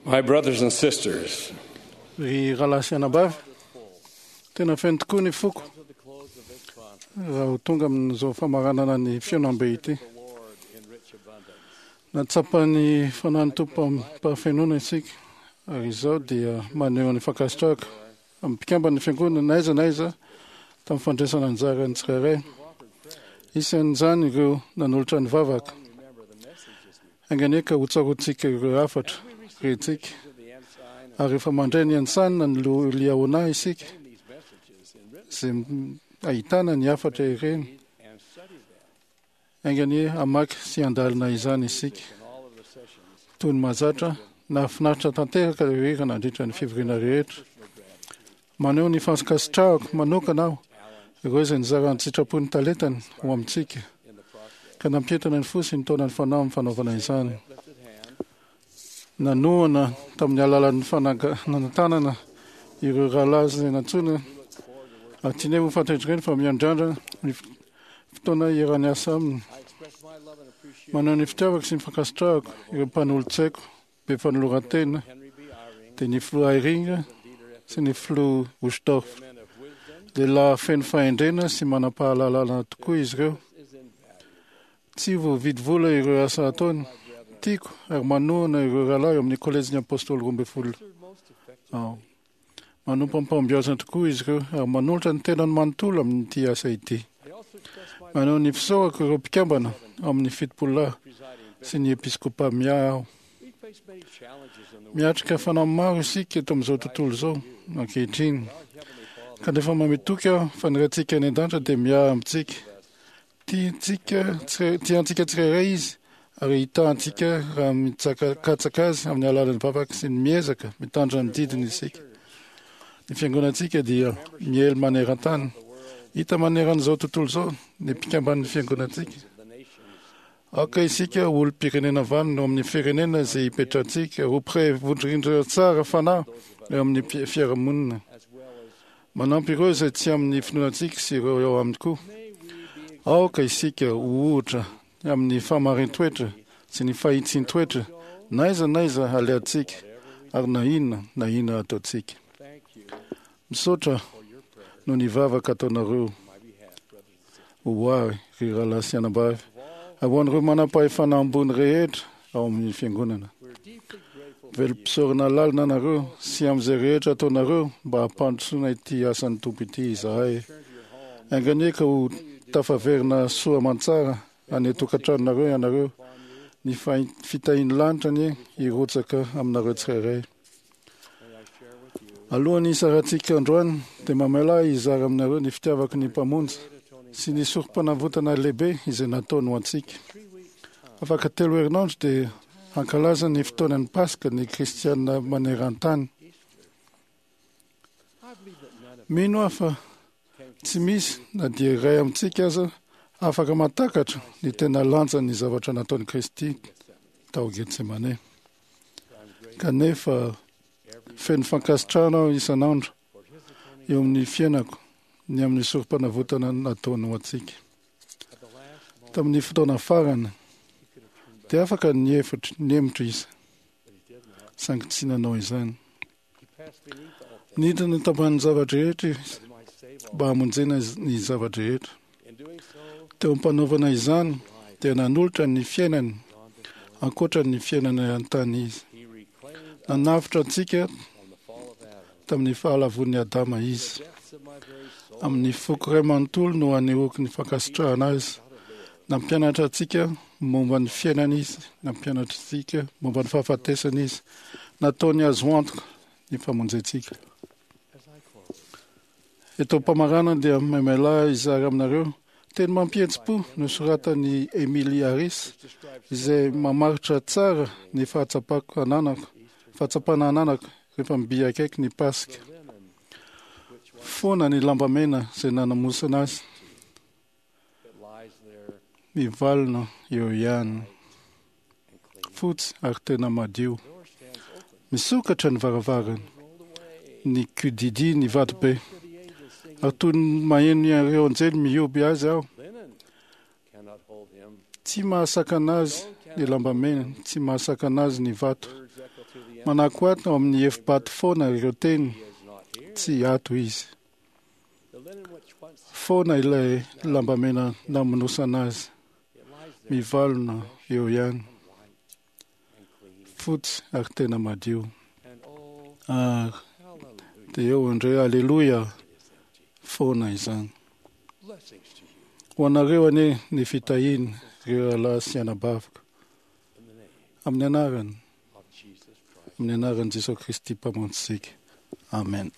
My brothers and sisters, Ry rahalahy sy anabavy, tena feno tokoa ny foko raha ho tonga amin'izao famaranana ny fihaonambe ity. Nahatsapa ny fanahin'ny Tompo amim-pahafenoana isika, ary izao dia maneho ny fankasitrahako amin'ny mpikamban'ny Fiangonana na aiza na aiza tamin'ny fandraisana anjara ny tsirairay. Isan'izany ireo nanolotra ny vavaka. Enga anie ka hotsaroantsika ireo hafatra rentsika, ary rehefa mandray ny antsany ny Liahona isika, izay ahitana ny hafatra ireny, enga anie hamaky sy handalina izany isika. Toy ny mahazatra, nahafinaritra tanteraka ireo hira nandritra ny fivoriana rehetra. Maneho ny fankasitrahako manokana aho ireo izay nizara an-tsitrapo ny talentany ho amintsika, ka nampientana ny fo sy nitaona ny fanahy amin'ny fanaovana izany. Nanohana tamin'ny alalan'ny fananganana ireo rahalahy izay nantsoina, ary tianay ho fantatr'izy ireny fa miandrandra ny fotoana hiara-niasa aminy. Maneho ny fitiavako sy ny fankasitrahako ireo mpanolotsaiko be fanoloran-tena dia ny filoha Eyring sy ny filoha Uchtdorf. Lehilahy feno fahendrena sy manam-pahalalana tokoa izy ireo. Tsy voavidy vola ireo asa ataony. Tiako ary manohana ireo rahalahy ao amin'ny Kolejin'ny Apôstôly Roambinifolo aho. Manompo amim-pahombiazana tokoa izy ireo ary manolotra ny tenany manontolo amin'ity asa ity. Maneho ny fisaorako ireo mpikambana ao amin'ny Fitopololahy sy ny Episkopa miahy aho. Miatrika fanamby maro isika eto amin'izao tontolo izao ankehitriny, kanefa manome toky aho fa ny Raintsika any An-danitra dia miahy amintsika. Tiantsika tiantsika tsirairay Izy ary hitaha antsika raha mitsakatsaka Azy amin'ny alalan'ny vavaka sy ny miezaka mitandrina ny didiny isika. Ny fiangonantsika dia miely maneran-tany. Hita maneran'izao tontolo izao ny mpikamban'ny fiangonantsika. Aoka isika ho olom-pirenena vanona eo amin'ny firenena izay ipetrahantsika, ho mpiray vondrindra tsara fanahy eo amin'ny fiarahamonina. Manampy ireo izay tsy amin'ny finoantsika sy ireo eo aminy koa. Aoka isika ho ohatra amin'ny fahamarin-toetra sy ny fahitsian-toetra na aiza na aiza alehantsika ary na inona na inona ataontsika. Misaotra noho ny vavaka ataonareo ho ahy, ry rahalahy sy anabavy, ary ho an'ireo manam-pahefana ambony rehetra ao amin'ny Fiangonana. Velom-pisaorana lalina anareo sy amin'izay rehetra ataonareo mba hampandrosoana ity asan'ny Tompo ity izahay. Enga anie ka ho tafaverina soa aman-tsara any an-tokantranonareo ianareo. Ny fitahian'ny lanitra anie hirotsaka aminareo tsirairay. Alohan'ny hisarantsika androany dia mamela ahy hizara aminareo ny fitiavako ny Mpamonjy sy ny sorompanavotana lehibe izay nataony ho antsika. Afaka telo herinandro dia hankalaza ny fotoanan'ny Paska ny Kristiana maneran-tany. Mino aho fa tsy misy na dia iray amintsika aza afaka mahatakatra ny tena lanjan'ny zavatra nataon'i Kristy tao Getsemane. Kanefa feno fankasitrahana aho isan'andro eo amin'ny fiainako ny amin'ny sorompanavotana nataony ho antsika. Tamin'ny fotoana farany dia afaka nihevitra nihemotra izy, saingy tsy nanao izany. Nidina tambanin'ny zava-drehetra izy mba hamonjena ny zava-drehetra. Teo am-panaovana izany dia nanolotra ny fiainany ankoatra ny fiainana an-tany izy. Nanavotra antsika tamin'ny fahalavoan'i Adama izy. Amin'ny foko iray manontolo no anehoako ny fankasitrahana azy. Nampianatra antsika momba ny fiainana izy, nampianatra antsika momba ny fahafatesana izy. Nataony azo antoka ny famonjentsika. Eto am-pamaranana dia maimailahy hizara aminareo teny mampihetsi-po nosoratan'i Emily Harris izay mamaritra tsara ny fahatsapako ananako, fahatsapana ananako rehefa mby akaiky ny Paska. Foana ny lambamena izay nanamosana azy. Mivalona eo ihany. Fotsy ary tena madio. Misokatra ny varavarana. Ny kodidia ny vatobe. Ary toy ny maheno ireo anjely mihoby azy aho. Tsy mahasakana azy ny lambamena, tsy mahasakana azy ny vato. Manako ato amin'ny efi-bato foana ireo teny. Tsy ato izy. Foana ilay lambamena namonosana azy. Mivalona eo ihany. Fotsy ary tena madio. Ary dia eo indray, aleloia, foana izany. Ho anareo anie ny fitahiana, ireo rahalahy sy anabaviko. Amin'ny anarany, amin'ny anaran'i Jesoa Kristy Mpamonjintsika. Amen.